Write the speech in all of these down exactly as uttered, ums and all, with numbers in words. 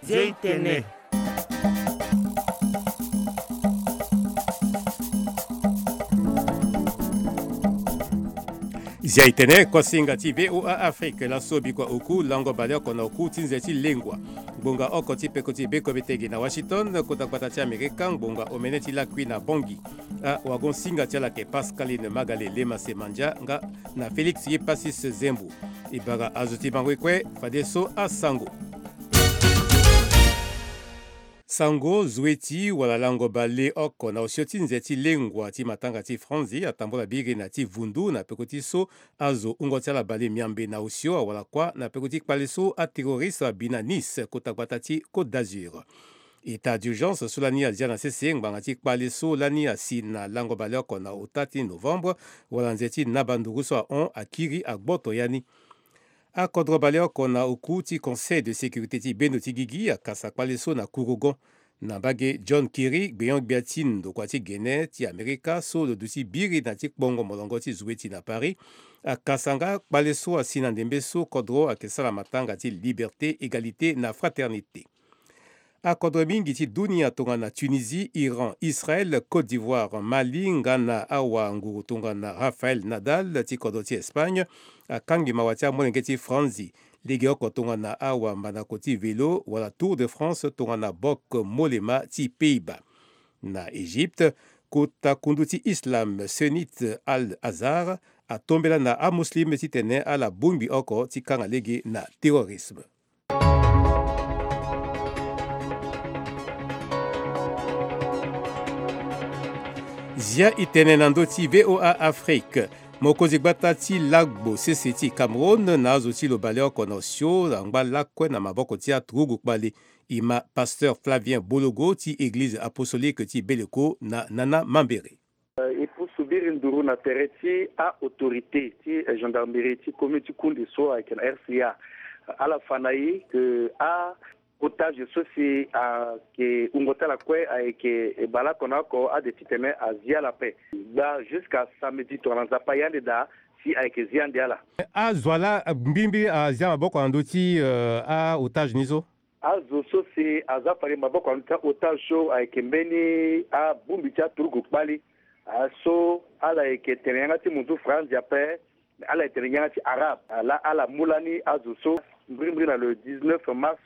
Zia itene. Zia itene, kuasinga ti V O A Afrique, laso bikua oku lango baleoko na oku ti nze ti lengua. Ngbonga oko ti peko ti bekobe tege na Washington, kota gbata ti Amerika, ngbonga omene ti lakui na Bangui. Awagon-singa ti ala ayeke Pascaline Magale Lema Semandia nga na Félix Yepasis Zembo. E bara azo ti bango kue, fadeso asango. Sango, zueti wala lango baleoko na osio ti nze ti lengua ti matanga ti franzi atambula biri na ti vundu na peko ti so azo hungo ti ala bale miambe na osio awara kuâ na peko ti kpale so aterroriste abi na Nice, kota gbata ti Côte d'Azur. État d'urgence so lani azia na sese ngbanga ti kpale so lani asi na lango baleoko na ota ti novembre, wala nze ti naba nduru so ahon akiri agboto ya ni. Akodro baleoko na oku ti Conseil de sécurité ti bendo ti gigi akasa kpale so na kurugon. Na mbage, John Kerry, gbenyo-gbia ti ndokua ti gene ti Amerika so lo duti biri na ti kpongo molongo ti zueti na Paris, akasa nga kpale so asi na ndembe so kodro ayeke sara matanga ti liberté, égalité na fraternité. Akodro mingi ti dunia tongana Tunisie, Iran, Israël, Côte d'Ivoire, Mali nga na awanguru tongana Rafael Nadal ti kodro ti Espagne akangi mawa ti amolenge ti franzi. Legeoko tongana awambanako ti vélo wala Tour de France tongana Bok Mollema ti Pays-Bas. Na Égypte, kota kundu ti islam sunnite Al-Azhar atombela na amuslim titene ala bongbi oko ti kanga lege na terrorisme. Zia itene na ndö ti V O A Afrique. Mokonzi gbata ti lagbo sese ti Cameroun na azo ti lo baleoko na osio angba lakue na maboko ti aturugu kpale. E ma pasteur Flavien Bologo ti Eglize apostolique ti Beleko na Nana Mambere. E pusu biri nduru na tere ti a-autorité ti gendarmerie ti commune ti Koundé so ayeke na R C A. Ala fa na e ke a-otage so si ayeke wungo ti ala kue ayeke bale oko na oko ade titene azi ala ape. Gba jusqu'à samedi tongana Nzapa ye ande daa si ayeke zi ande ala. Azo wa laa mbirimbiri azia maboko na ndö ti, euh, a-otage ni so? Azo so si aza fade maboko na ndö ti a-otage so ayeke mbeni abongbi ti aturugu kpali. Ah, so ala yeke tene yanga ti munzu franzi ape, me ala yeke tene yanga ti arabe. Ah, laa ala mu lani azo so mbirimbiri na le dix-neuf mars,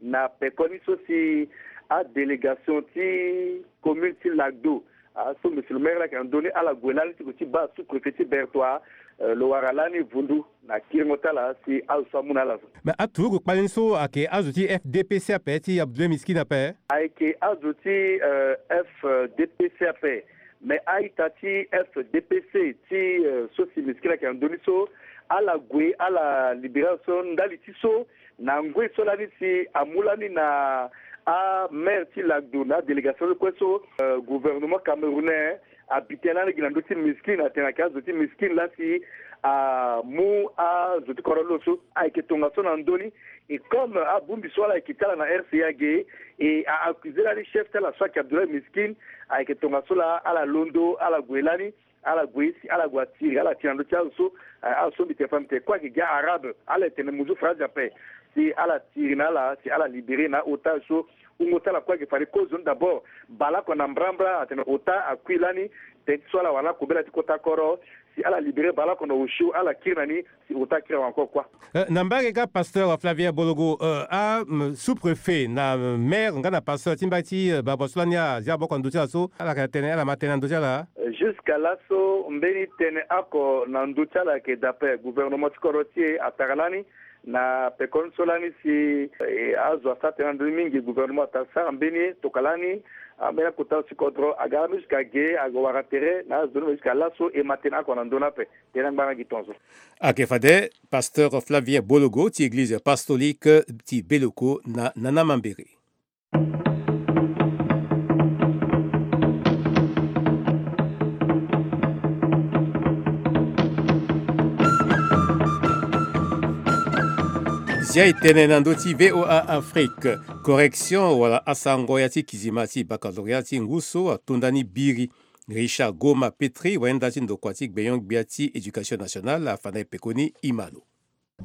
na pekoni so si adélégation ti commune ti Lagdo, ah, so monsieur le maire laa ayeke na ndö ni, ala gue lani ti gue ti baa sous-préfet ti Bertoua, euh, lo wara lani vundu na kiringo ti ala si azo so amu na ala zo. Me aturugu kpali ni so ayeke azo ti F D P C ape, ti Abdoulaye Miskine ape? Ayeke azo ti, euh, F D P C ape. Me a-ita ti F D P C ti, euh, so si Miskine ayeke na ndö ni so, ala gue ala libéré ala so ndali ti so, na ngoi so lani si amu lani na amaire ti Lagdo na adélégation so kue so, euh, gouvernement camerounais abi tënë lani gi na ndö ti Miskine, atene ayeke azo ti Miskine laa si amu azo ti kodro lo so. Ayeke tongaso na ndö ni. Et comme abongbi so ala yeke ti ala na R C A ge, e a-accuser lani chef ti ala so ayeke Abdoulaye Miskine, ayeke tongaso laa ala londo, ala gue lani, ala gue si ala gue atiri, ala tiri na ndö ti azo so, eh, azo so mbi tene fa mbi tene kue ayeke gi arabe, ala yeke tene munzu franzi ape, si ala tiri na ala, si ala libéré na a-otage so. Wungo ti ala kue ayeke fade kozo ni d'abord, baleoko na mbrambra, atene ota akui lani, teti so ala wara na kobela ti kota kodro, si ala libéré baleoko na osio, ala kiri na ni, si ota akiri awe encore kua. Eh, na mbage ga pasteur Flavien Bologo, eh, a, mm, sous-préfet na, mm, maire nga na pasteur ti mbage ti, eh, baleoko so lani azia maboko na ndö ti ala so, ala yeke na tënë, ala ma tënë na ndö ti ala? Eh, jusqu'à laso mbeni tënë oko na ndö ti ala ayeke daa ape. Gouvernement ti kodro ti e atara lani, na pekoni so lani si, eh, azo asara tënë na ndö ni mingi, gouvernement atara sara mbeni tokua lani, ambeni akota ti kodro aga lani jusqu'à ge, aga wara tere na azo ni, me jusqu'à laso e ma tënë oko na ndö ni ape. Tënë angbanga gi tongaso. Ayeke fade pasteur Flavien Bologo ti église apostolique ti Beleko na Nana Mambere. Zia e tene na ndö ti V O A Afrique. Correction wala asango ya ti kizima ti baccalauréat ti ngu so atonda ni biri. Richard Goma Petri, wayenda ti ndokua ti gbenyo-gbia ti éducation nationale, afa na e pekoni, e ma lo.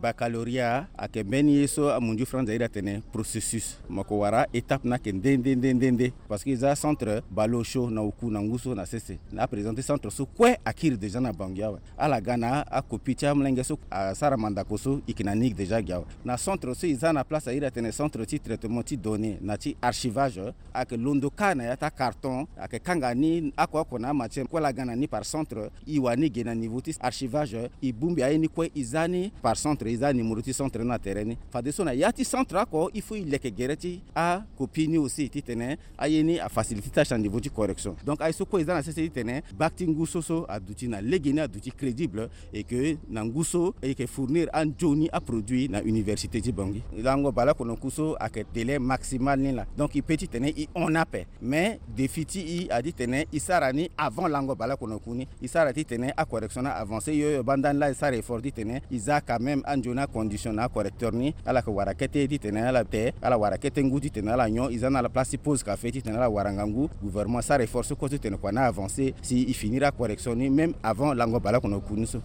Baccalauréat ayeke mbeni ye so amunzu franz airi atene processus. Mo yeke wara étape ni ayeke nde nde nde nde nde. Parce que e za centre baleau chaud na oku na ngu so na sese. Aprésenté centre so kue akiri déjà na Bangui awe. Ala ga na akopie ti amolenge so asara mandako so e yeke na ni déjà gi awe. Na centre so e za na place airi atene centre ti traitement ti données na ti archivage, ayeke londo kâ na ya ti acarton, ayeke kanga ni oko oko na amatière kue laa ga na ni par centre. E wara ni ge na niveau ti archivage, e bongbi aye ni kue e za ni par centre, e za numéro ti centre ni na tere ni. Fadeso na ya ti centre oko il faut e leke gere ti akopie ni aussi titene aye ni afacilité tâche na niveau ti correction. Donc aye so kue e za na sese titene bac ti ngu so so aduti na legeni, aduti crédible, et que na ngu so e yeke fournir anzoni aproduit na université ti Bangui. Lango baleoko na oku so ayeke délai maximal ni laa. Donc e peut titene e hon ape. Mais défi ti e adi titene e sara ni avant lango baleoko na oku ni. E sara titene acorrection ni avancé. Yo yo baa ndani laa e sara effort titene e za quand même anzoni acondition na acorrecteur ni. Ala yeke wara kete titene ala te, ala wara kete ngu titene ala nyon. E za na ala place ti pause café titene ala wara ngangu. Gouvernement asara effort so kue titene kua ni avancé si e finir acorrection ni même avant lango baleoko na oku ni so.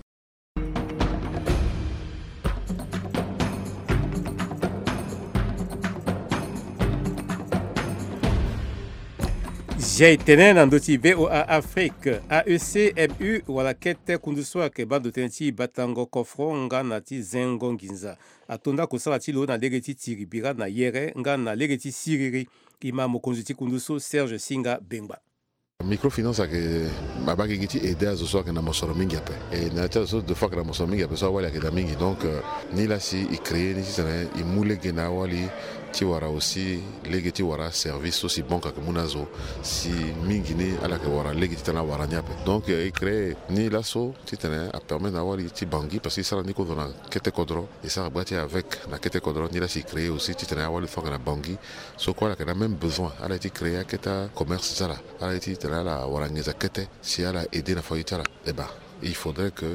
Zia e tene na ndö ti V O A Afrique. A E C M U wala kete kundu so ayeke baa ndo tënë ti batango kofro nga na ti zengo nginza ato nda kosala ti lo na lege ti tiri bira na yere nga na lege ti siriri. E ma mokonzi ti kundu so Serge Singa Bengba. Microfinance ayeke abaa gi gi ti aider azo so ayeke na mosoro mingi ape. E na ya ti azo so de fois ayeke na mosoro mingi ape so awali ayeke daa mingi. Donc euh, ni laa si e créer ni titene e mu lege na awali ti wara aussi lege ti wara service so si banque ayeke mu na azo si mingi ni ala yeke wara lege titene awara ni ape. Donc euh, e créer ni laso titene apermettre na awali ti Bangui parce que e sara ni kodro na kete kodro, e sara baa ti avec na kete kodro. Ni laa si e créer aussi titene awali so ayeke na Bangui so kue ala yeke na même besoin, ala ye ti créer akete acommerce ti ala, ala ye titene ala wara nginza kete si ala aider na famille ti ala. Eh ben, il faudrait que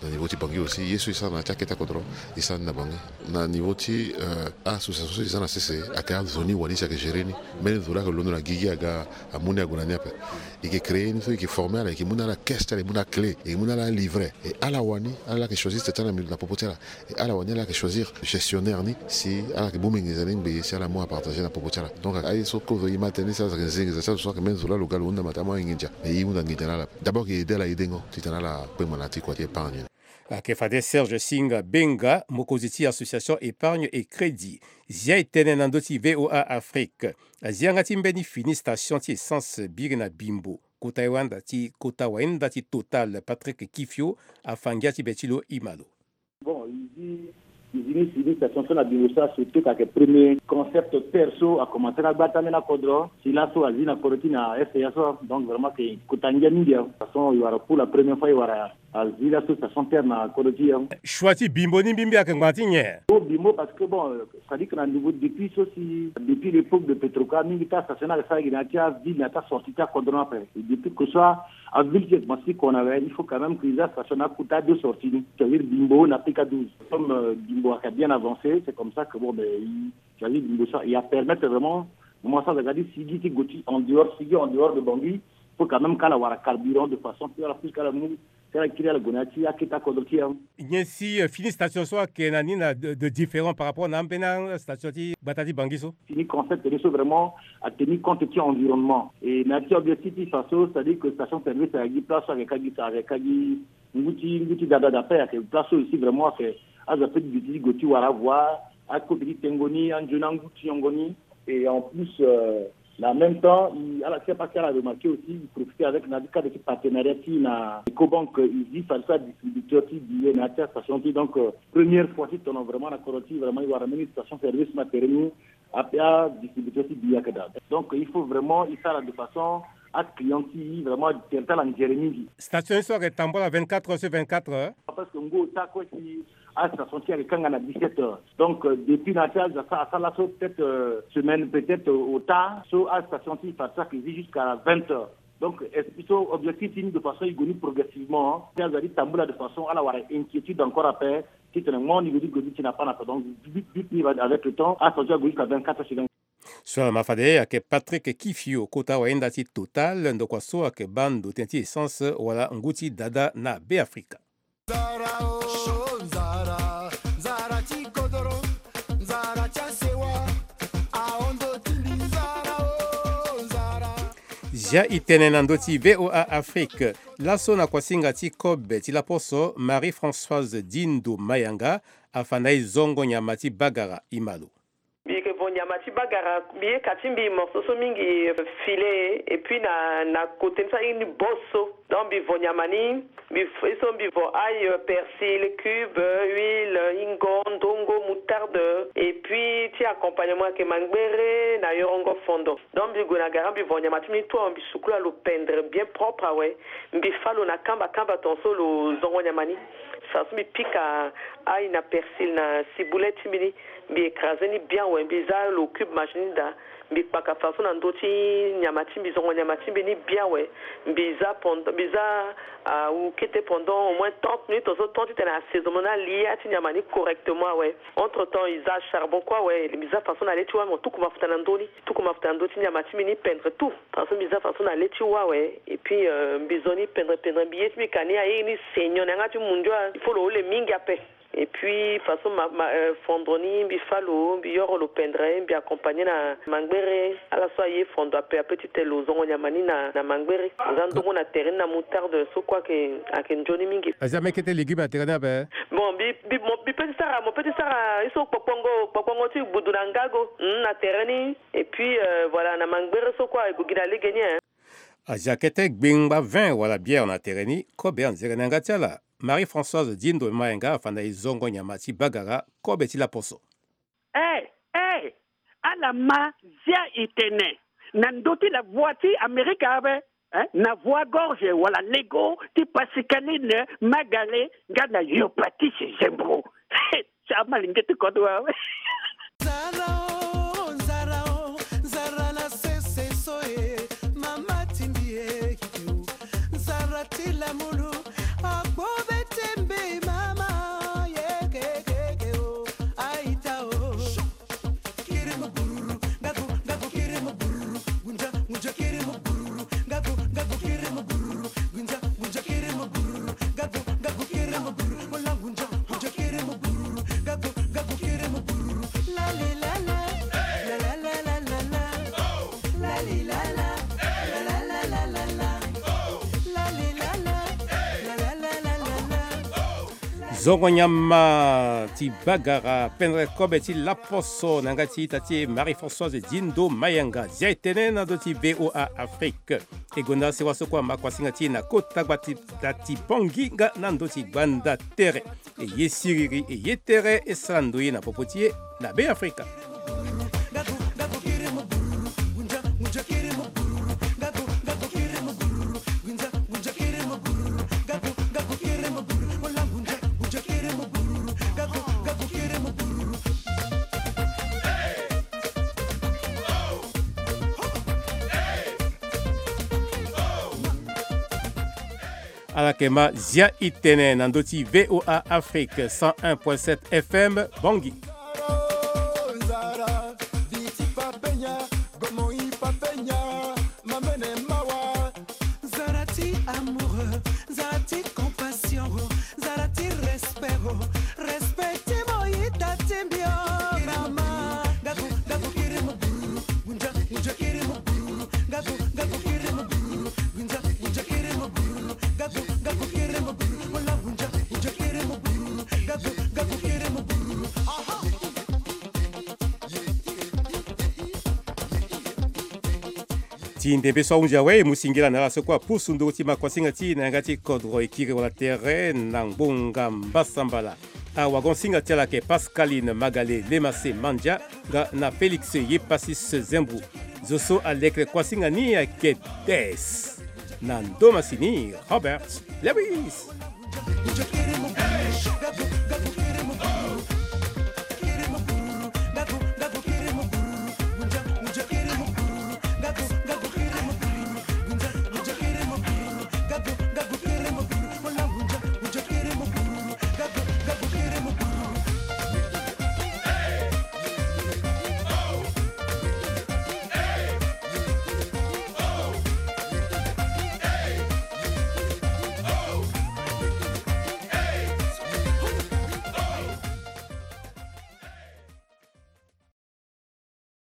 na niveau ti Bangui aussi ye so e sara na ya ti akete akodro e sara ni na Bangui. Na niveau ti euh, association so e za na sese ayeke azo ni wani si ayeke gérer ni. Mbeni zo laa ayeke londo na gigi aga amu ni ague na ni ape. E yeke créer ni so e yeke former ala, e yeke mu na ala caisse ti ala, e mu na ala clé, e yeke mu na ala livret. E ala wani ala laa ayeke choisir sta ti ala na popo ti ala. E ala wani ala yeke choisir gestionnaire ni si ala yeke bongbi nginza ni ngbe si ala mu apartager na popo ti ala. Donc aye so kozo e ma tënë ni si ala yeke zi nginza ti azo so ayeke même zo laa lo ga lo hunda mata amu aye nginza. Mais e hunda nginza na ala. D'abord e yeke aider ala aidengo titene ala kpengba na ya ti kua ti épargne ni. Ayeke fade Serge Singa Benga, mokonzi ti association Épargne et Crédit. Zia e tene na ndö ti V O A Afrique. Azia yanga ti mbeni fini station ti essence biri na Bimbo, kota wayenda ti kota wayenda ti Total, Patrick Kifio afa ngia ti be ti lo, e ma lo. Bon, e zi, e zi ni si ni station so na Bimbo so, surtout ka yeke premier concept terre so akomanse na gbata ambeni akodro. Si laso azi na kodro ti na F A so, donc vraiment ayeke kota ngia mingi. Façon e wara pour la première fois e wara azi laso station terre na kodro ti e. Choix ti Bimbo ni mbimbi ayeke ngbanga ti nyen? Pour Bimbo parce que bon, c'est-à-dire que na niveau depuis so si depuis l'époque de Petroca mingi ti astation ni ayeke sara gi na ya ti aville na ya ti asortie ti akodro ni ape. Et depuis que so aville ti e komanse ti kona awe, il faut quand même que e za station ni akota deux sorties ni, c'est-à-dire Bimbo na P K douze. Comme euh, Bimbo ayeke bien avancé, c'est comme ça que bon ben e choisir Bimbo so e a permettre vraiment moment so aza ga ti sigi ti go ti en dehors, sigi en dehors de Bangui, faut quand même ka ala wara carburant de façon ti ala puisque ala mu ti ala kiri ala gue na ya ti akete akodro ti e. Nyen si euh, fini station so ayeke na ni na de, de différent par rapport na ambeni astation ti gbata ti Bangui so? Fini concept ni so vraiment ateni compte ti environnement. Et na ya ti objectif ti fa so, c'est-à-dire que station service ayeke gi place so ayeke ka gi, ayeke ka gi ngu ti ngu ti dada d'appel, ayeke place so aussi vraiment ayeke azo ape ti duti ti go ti wara avoire akota ti tengo ni, anzoni angu ti nyongo ni. Et en plus euh, na même temps e, ala ti ape si ala remarqué aussi, e profité avec na ya ti cadre ti partenariat ti e na Ecobank, e zi fade so adistributeur ti billet na ya ti astation ti e. Donc euh, première fois ti tono vraiment na kodro ti e vraiment e wara mbeni station service na tere ni. Ape adistributeur ti billet ayeke daa. Donc il faut vraiment e sara de façon aclient ti e vraiment tere ti ala ngere mingi. Station ni so ayeke tambula vingt-quatre heures sur vingt-quatre heures. Parce que ngu ota kue si astation ti e ayeke kanga na dix-sept heures. Donc euh, depuis na ya ti azo asara asara laso peut-être euh, semaine peut-être euh, ota so astation ti e fade so ayeke zi jusqu'à vingt heures. Donc esprit so objectif ti ni de façon e gue ni progressivement, hein. Si azo aye ti tambula de façon ala wara inquiétude encore ape titene mo ni go ti go ti tena pana ape. Donc but but ni avec le temps astation ti e ague jusqu'à vingt-quatre heures sur vingt-quatre. So ala ma fade ayeke Patrick Kifio, kota wayenda ti Total, ndokua so ayeke baa ndo tënë ti essence wala ngu ti dada na Beafrika. Nzara o, nzara, nzara Zia e tene na ndö ti V O A Afrique. Laso na kuasinga ti kobe ti laposo, Marie-Françoise Dindo Mayanga afa na e zongo nyama ti bagara. E ma lo. Mbi yeke vo nyama ti bagara, mbi ye ka ti mbi morceau so mingi, filet, et puis na, na côté ni so aye ni boso. Donc mbi vo nyama ni, mbi f-, so mbi vo ail, persil, cube, huile, hingo, ndongo, moutarde, et puis ti accompagnement ayeke mangbere na yorongo fondo. Donc mbi gue na gara, mbi vo nyama ti mbi ni tout awe, mbi sukula lo pendre bien propre awe. Mbi fâ lo na kamba kamba tongaso lo zongo nyama ni. Fadeso mbi pika ail na persil na ciboulette ti mbi ni. Mbi écrasé ni bien awe, mbi zia lo cube machine ni daa. Mbi kpaka fadeso na ndö ti nyama ti mbi, zongo nyama ti mbi ni bien awe. Mbi zia pend-, mbi zia, ah, awu kete pendant au moins trente minutes, tongaso temps titene assaisonnement ni, alia ti nyama ni correctement awe. Entre temps e zia charbon kue awe, mbi zia fadeso na le ti wâ, mo tuku mafuta na ndö ni, tuku mafuta na ndö ti nyama ti mbi ni, pendre tout. Fadeso mbi zia fadeso na le ti wâ awe. Et puis, euh, mbi zo ni pendre pendre, mbi ye ti mbi ka ni aye ni saignant na yanga ti mundu, ah, il faut lo hule mingi ape. Et puis fadeso ma, ma, euh, fondre ni, mbi fâ lo, mbi yoro lo pendre, mbi accompagné na mangbere. Ala so aye fondre ape ape titene lo zongo nyama ni na, na mangbere. Zia ndongo na tere ni na moutarde so kue ayeke, ayeke nzoni mingi. Azia me kete légume na tere ni ape? Bon, mbi, mbi, mo, mbi peut ti sara, mo peut ti sara ye so kpokpongo, kpokpongo ti gbudu na ngago, hmm, na tere ni. Et puis, euh, voilà, na mangbere so kue aye gue gi na lege ni, hein. Azia kete gbengba vin wala bière na tere ni, kobe anzere na yanga ti ala. Marie-Françoise Dindo Mayanga afa na e zongo nyama ti bagara, kobe ti laposo. Eh, eh, ala ma zia e tene na ndö ti la voix ti Amerika ape, eh, na voix gorge wala lego ti Pascaline Magale nga na Yopatis Zembro. Ti amalenge ti kodro awe. Nzara o, nzara o, nzara na sese so e, mama ti mbi e, nzara ti lamulu, akpo be ti mbi mama, ye ke ke ke o, aita o. Kiri mo bururu, ngaku, ngaku kiri mo bururu, gunja, gunja kiri mo bururu, ngaku, ngaku kiri mo bururu, gunja, gunja kiri mo bururu, ngaku, ngaku kiri mo bururu, mo la gunja. Zongo nyama ti bagara, pendre kobe ti laposo na yanga ti ita ti e Marie-Françoise Dindo Mayanga. Zia e tene na ndö ti V O A Afrique. E gonda sewa so kue ama kuasinga ti e na kota gbata ti Bangui nga na ndö ti gbanda tere. E ye siriri, e ye tere, e sara ndoye na popo ti e na Be Afrika. Ala yeke ma zia e tene na ndö ti V O A Afrique cent un point sept F M Bangui. Nzara ti amour, nzara ti compassion, nzara ti respect, respect ti mo ita ti mbi o mama. Gaku, gaku kiri mo bururu, gunja, gunja kiri mo bururu, gaku, gaku kiri mo bururu, gunja, gunja kiri mo bururu, gaku, gaku kiri mo bururu, wala gunja, gunja kiri mo bururu, gaku, gaku kiri mo bururu. Aha. Ti ndembe so ahunzi awe, e mu singila na ala so kue apusu nduru ti makuasinga ti e na yanga ti kodro, e kiri wala tere na ngbonga mbasambala. Awagon-singa ti ala ayeke Pascaline Magale Lemase Mandia nga na Félix Yepasis Zembou. Zo so aleke kuasinga ni ayeke Des. Na ndo masini, Robert Lewis.